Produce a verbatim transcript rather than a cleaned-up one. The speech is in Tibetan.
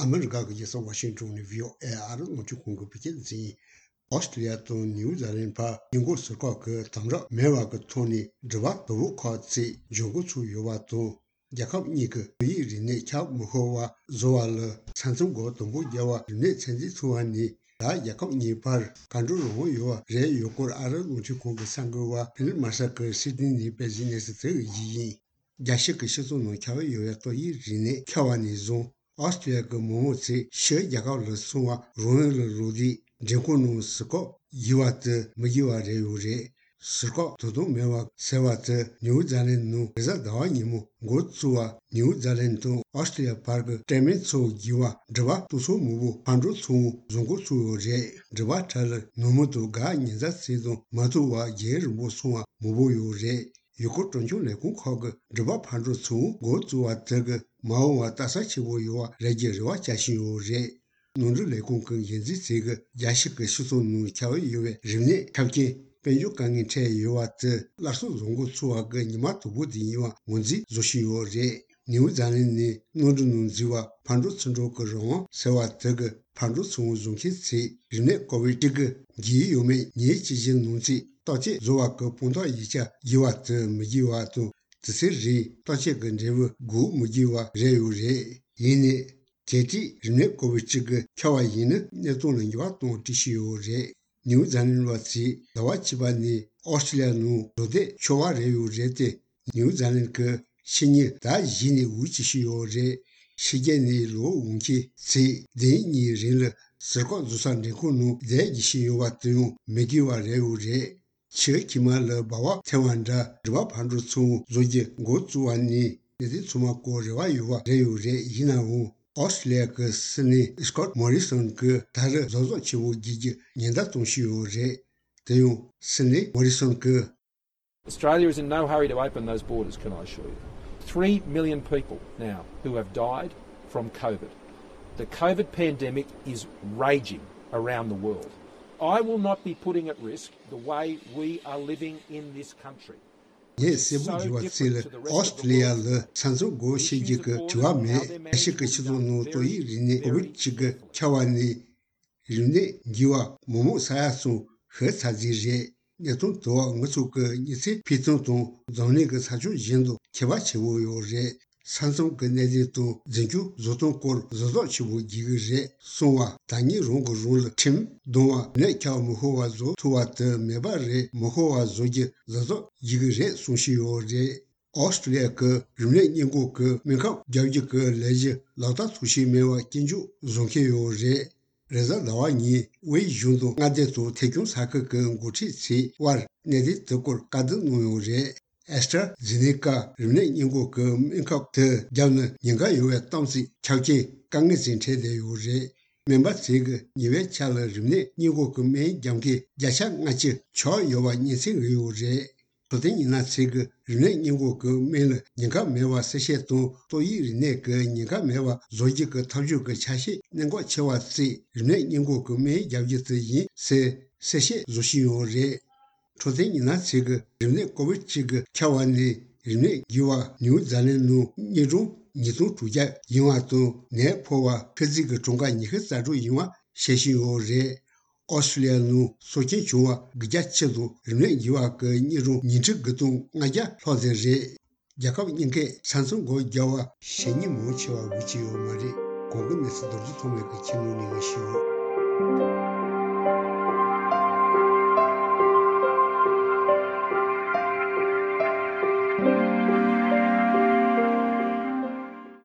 ཨ་མི་རི་ཀ་གི་རྒྱལ་ས་ཝ་ཤིང་ཏོན་ནས་བྷི་ཨོ་ཨེ་ཨ་རི་རླུང་འཕྲིན་ཁང་གི་བོད་སྐད་སྡེ་ཚན་ཡིན། ཨོ་སི་ཀྲི་ལི་ཡ་དང་ནིའུ་ཛི་ལན་བར་ཉེན་འགོག་ཟུར་བཀག་གི་དམ་དྲག་མེད་པ་གི་ཐོག་ནས་འགྲུལ་པ་དོ་པོ་ཁག་ཚོས་འབྱོར་འགོ་ཚུགས་ཡོད་པ་དང་། རྒྱལ་ཁབ་གཉིས་ཀྱི་ཏོག་དབྱིབས་རིམས་ནད་ཁྱབ་མི་ཤོར་བ་བཟོ་བ་ལ་ས་མཚམས་སྒོ་དམ་པོ་རྒྱག་པར་རིམས་ནད་ཚོད་འཛིན་ཚོགས་པ་ནས། ད་རྒྱལ་ཁབ་གཉིས་བར་གར་འགྲོ་རང་དབང་ཡོད་པ་རེད་ཡོད་སྐོར་ཨ་རིའི་རླུང་འཕྲིན་ཁང་གི་གསར་འགོད་པ་ཕི་ལིབ་མར་ཤལ་གྱིས་སིད་ནི་ནས་སྤེལ་བཞིན་གནས་ཚུལ་དེ་གི་རྒྱུས་ཡིན། རྒྱལ་སྤྱི་གི་སྤྱི་ཚོགས་ནང་ཁྱབ་ཡོད་པའི་ཏོག་དབྱིབས་རིམས་ནད་ཁྱབ་པ་ནས་བཟུང་ཨོ་སི་ཀྲི་ལི་ཡ་གི་མི་མང་ཚོས་ཕྱིའི་རྒྱལ་ཁབ་ལ་སོང་བ་རང་ཡུལ་ལ་ལོག་དུས་མགྲོན་ཁང་ནང་ཟུར་བཀག་དགོས་པ་དེ་མི་དགོས་པ་རེད་ཡོད་རེད། ཟུར་བཀག་དོ་དམ་མེད་པ་ཟེར་བ་དེ་ནིའུ་ཛི་ལན་ནང་རེས་གཟའ་ཟླ་བ་ཉིན་མོ་འགོ་བཙུགས་པ། ནིའུ་ཛི་ལན་དང་ཨོ་སི་ཀྲི་ལི་ཡ་བར་གྱི་སྤྲད་མེད་ཚོ་བརྒྱུད་པ་འགྲུལ་པ་སྟོང་ཚོ་མང་པོ་ཕར་འགྲོ་ཚུར་འོང་བཟོ་འགོ་བཙུགས་ཡོད་རེད། འགྲུལ་པ་གྲས་ལ་ནང་མི་དང་དགའ་ཉེ་མཛའ་བརྩེ་དང་མ་ཐུག་པར་རྒྱུན་རིང་པོ་སོང་བ་མང་པོ་ཡོད་རེད། ཡུལ་སྐོར་སྤྲོ་འཆམ་ལས་ཁུངས་ཁག་གིས་འགྲུལ་པ་ཕར་འགྲོ་ཚུར་འོང་འགོ་བཙུགས་པ་དེ་གིས་མ་འོངས་པར་ལྟ་ས་ཆེན་པོ་ཡོང་བ་རེད་ཀྱི་རེ་བ་བྱ་བཞིན་ཡོད་རེད། ནོར་འཁྲུལ་ལས་ཁུངས་ཀྱི་འགན་འཛིན་ཚོས་ཀྱིས་རྒྱལ་སྤྱི་གི་སྤྱི་ཚོགས་ནང་ཁྱབ་ཡོད་པའི་རིམས་ནད་ཁྱབ་རྐྱེན་དཔལ་འབྱོར་དཀའ་ངལ་འཕྲད་ཡོད་པ་དེ་སླར་གསོ་བཟོ་འགོ་ཚུགས་པ་གི་ཉི་མ་དང་པོ་དེ་ཡིན་པ་ངོས་འཛིན་བཟོ་བཞིན་ཡོད་རེད། ནིའུ་ཛི་ལན་ནས་གནམ་གྲུ་ནང་འཛུལ་བ་ཕར་འགྲོ་ཚུར་འགྲོ་གི་རང་དབང་ཟེར་བ་དེ་གི་ཕར་འགྲོ་ཚུར་འོང་བཟོ་མཁན་ཚོས་རིམས་ནད་ཀོ་བིད་བཅུ་དགུ་འགོས་ཡོད་མེད་ཉིན་གཅིག་གཞན་ནང་ཚུད་བརྟག་དཔྱད་བཟོ་བ་གི་དཔང་རྟགས་ཡིག་ཆ་དགོས་པ་དེ་མི་དགོས་པ་དང་། དེ་ཚེ་རིང་བརྟག་དཔྱད་ཀྱི་འབྲས་བུ་དགོས་མི་དགོས་པ་རེད་ཡོད་རེད། ཡིན་ནའི། གལ་ཏེ་རིམས་ནད་ཀོ་བིད་བཅུ་དགུ་ཁྱབ་པ་ཡིན་ན་གནས་སྟངས་ལ་འགྱུར་བ་གཏོང་སྲིད་ཡོད་རེད། ནིའུ་ཛི་ལན་བ་ཚོས་ཟླ་བ་གཅིག་པ་ནས་ཨོ་སི་ཀྲི་ལི་ཡ་ནང་བཟོ་བསྡད་ཆོག་པ་རེད་ཡོད་རེད་དེ། ནིའུ་ཛི་ལན་གྱི་ཕྱི་ཉིན་ཟླ་བཞི་ནས་དབུས་སྐྱིད་ཤོས་ཡོད་རེད། ཕྱི་རྒྱལ་ནས་ལོག་འོང་མཁན་ཚོས་ཟླ་གཉིས་རིང་ལ་ཟུར་བཀག་བཟོ་ས་མགྲོན་ཁང་ནང་བསྡད་དགོས་ཀྱི་ཡོད་པ་དེ་ཡང་མི་དགོས་པ་རེད་ཡོད་རེད། ཕྱིའི་ཁྱིམ་ལ་སྦ་བ་འཐེན་པ་འདྲ་འགྲུལ་པ་ཕར་འགྲོ་ཚུར་འོང་བཟོ་རྒྱུ་འགོ་བཙུགས་པ་ནས་གནད་དོན་ཚང་མ་སྐོར་རེ་བ་ཡོད་པ་རེད་ཡོད་རེད། ཡིན་ནའང་ཨོ་སི་ཀྲི་ལི་ཡ་གི་སྲིད་བློན་སྐོཊ་མོ་རི་སོན་གྱིས་ད་རེས་གཟབ་གཟབ་ཆེན་པོ་བྱེད་རྒྱུ་ཉེན་བརྡ་གཏོང་བཞིན་ཡོད་རེད། དེ་ཡང་སྲིད་བློན་མོ་རི་སོན་གྱིས། Australia is in no hurry to open those borders, can I assure you? Three million people now who have died from COVID. The COVID pandemic is raging around the world. I will not be putting at risk the way we are living in this country. ངས་གསལ་པོ་བརྗོད་པ་ཚིག་ལ་ཨོ་སི་ཀྲི་ལི་ཡ་ལ་ས་མཚམས་སྒོ་ཕྱེ་རྒྱུ་གི་དྲི་བ་མེད། རྒྱལ་སྤྱི་གི་སྤྱི་ཚོགས་ནང་ཏོག་དབྱིབས་རིམས་ནད་ཀོ་བིད་བཅུ་དགུ་ཁྱབ་པ་ནས་རིམས་ནད་འགོས་པ་མི་མང་ས་ཡ་གསུམ་ཤི་ཚར་རྩིས་རེད། གནད་དོན་དེ་བ་ང་ཚོ་གི་མི་ཚེ་འཕེལ་སྟངས་དང་འཛམ་གླིང་གི་ས་ཕྱོགས་གཞན་དང་ཁྱད་པར་ཆེན་པོ་ཡོད་རེད། ས་མཚམས་ཀྱི་གནད་དོན་དང་འཛིན་སྐྱོང་བཟོ་སྟངས་སྐོར་གཟབ་གཟབ་ཆེན་པོ་བྱེད་ཀྱི་རེད་གསུངས་པ། ད་ཉིན་རང་གི་རང་ལ་ཁྲིམས་གདམ་པ་ནད་ཁྱབ་མི་ཤོར་བ་བཟོ་ཐུབ་པ་དེ་མེད་པ་རེད། མི་ཤོར་བ་བཟོ་རྒྱུ་གཟབ་གཟབ་བྱེད་ཀྱི་རེད་གསུང་བཞིན་ཡོད་རེད། ཨོ་སི་ཀྲི་ལི་ཡ་གི་རིམས་ནད་སྔོན་འགོག་གི་སྨན་ཁབ་རྒྱག་རྒྱུ་གི་ལས་གཞི་ལག་བསྟར་ཐུབ་བཞིན་མེད་པ་སྐྱོན་བརྗོད་བཟོ་མཁན་ཡོད་རེད། རེས་གཟའ་ཟླ་བ་ཉིན་དབུས་གཞུང་དང་མངའ་སྡེ་དང་ཐད་སྐྱོང་ས་ཁུལ་གྱི་འགོ་ཁྲིད་ཚོའི་དབར་གནད་དོན་དེ་སྐོར་བཀའ་བསྡུར་གནང་ཡོད་རེད། ཨེ་སི་ཊ་ར་ཛེ་ནེ་ཀ་རིམས་ནད་སྔོན་འགོག་གི་སྨན་ཁབ་དེ་བརྒྱབ་ན་ཉེན་ཁ་ཡོད་པའི་གཏམ་ཚིག་ཁྱབ་རྐྱེན་དཀའ་ངལ་ཅིག་འཕྲད་བསྡད་ཡོད་རེད། སྨན་པ་ཚོས་ཀྱི་ཉེ་བའི་ཆར་ལ་རིམས་ནད་སྔོན་འགོག་གི་སྨན་རྒྱག་མཁན་བརྒྱ་ཆ་ལྔ་བཅུ་ཆག་ཡོད་པ་སྙན་སེང་ཡོད་རེད། འཕྲོད་བསྟེན་ཉི་ན་ཚེ་གི་རིམས་ནད་སྔོན་འགོག་གི་སྨན་ལ་ཉེན་ཁ་མེད་པ་གསལ་བཤད་དང་། ཏོག་དབྱིབས་རིམས་ནད་ཀྱི་ཉེན་ཁ་མེད་པ་བཟོ་རྒྱུ་གི་ཐབས་ཇུས་ཀྱི་ཆ་ཤས་གནད་འགག་ཆེ་བ་གཅིག་རིམས་ནད་སྔོན་འགོག་གི་སྨན་རྒྱག་རྒྱུ་དེ་ཡིན་ཟེར་གསལ་བཤད་བཟོ་བཞིན་ཡོད་རེད། འཕྲོད་བསྟེན་ཉི་ན་ཚེ་གི་རིམས་ནད་ཀོ་བིད་བཅུ་དགུ་ཁྱབ་པ་ནས་རིམས་ནད་འགོས་པ་ནིའུ་ཛི་ལན་ནང་དངོས་གྲངས་ཉིས་སྟོང་དྲུག་བརྒྱ་ཡིན་པ་དང་། ནད་ཕོག་པ་ཁ་ཚིག་གི་གྲངས་ཀ་ཉི་ཤུ་རྩ་དྲུག་ཡིན་པ་བཤད་བཞིན་ཡོད་རེད། ཨོ་སི་ཀྲི་ལི་ཡ་ནང་སྲོག་སྐྱོན་བྱུང་བ་དགུ་བརྒྱ་བཅུ་དང་། རིམས་ནད་འགོས་པ་གི་དངོས་གྲངས་ཉིས་ཁྲི་དགུ་སྟོང་ལྔ་བརྒྱ་ལྷག་ཙམ་རེད། རྒྱལ་ཁབ་གཉིས་ཀས་ས་མཚམས་སྒོ་བརྒྱབ་པ་ཞེ་གཉིས་མང་ཆེ་བ་འགོས་ཀྱི་ཡོད་མ་རེད། གོང་གི་གནས་ཚུལ་རྡོ་རྗེ་ཐོགས་མེད་ཀྱིས་ཁྱེར་ནས་ལེན་ཞུས་ཡོད།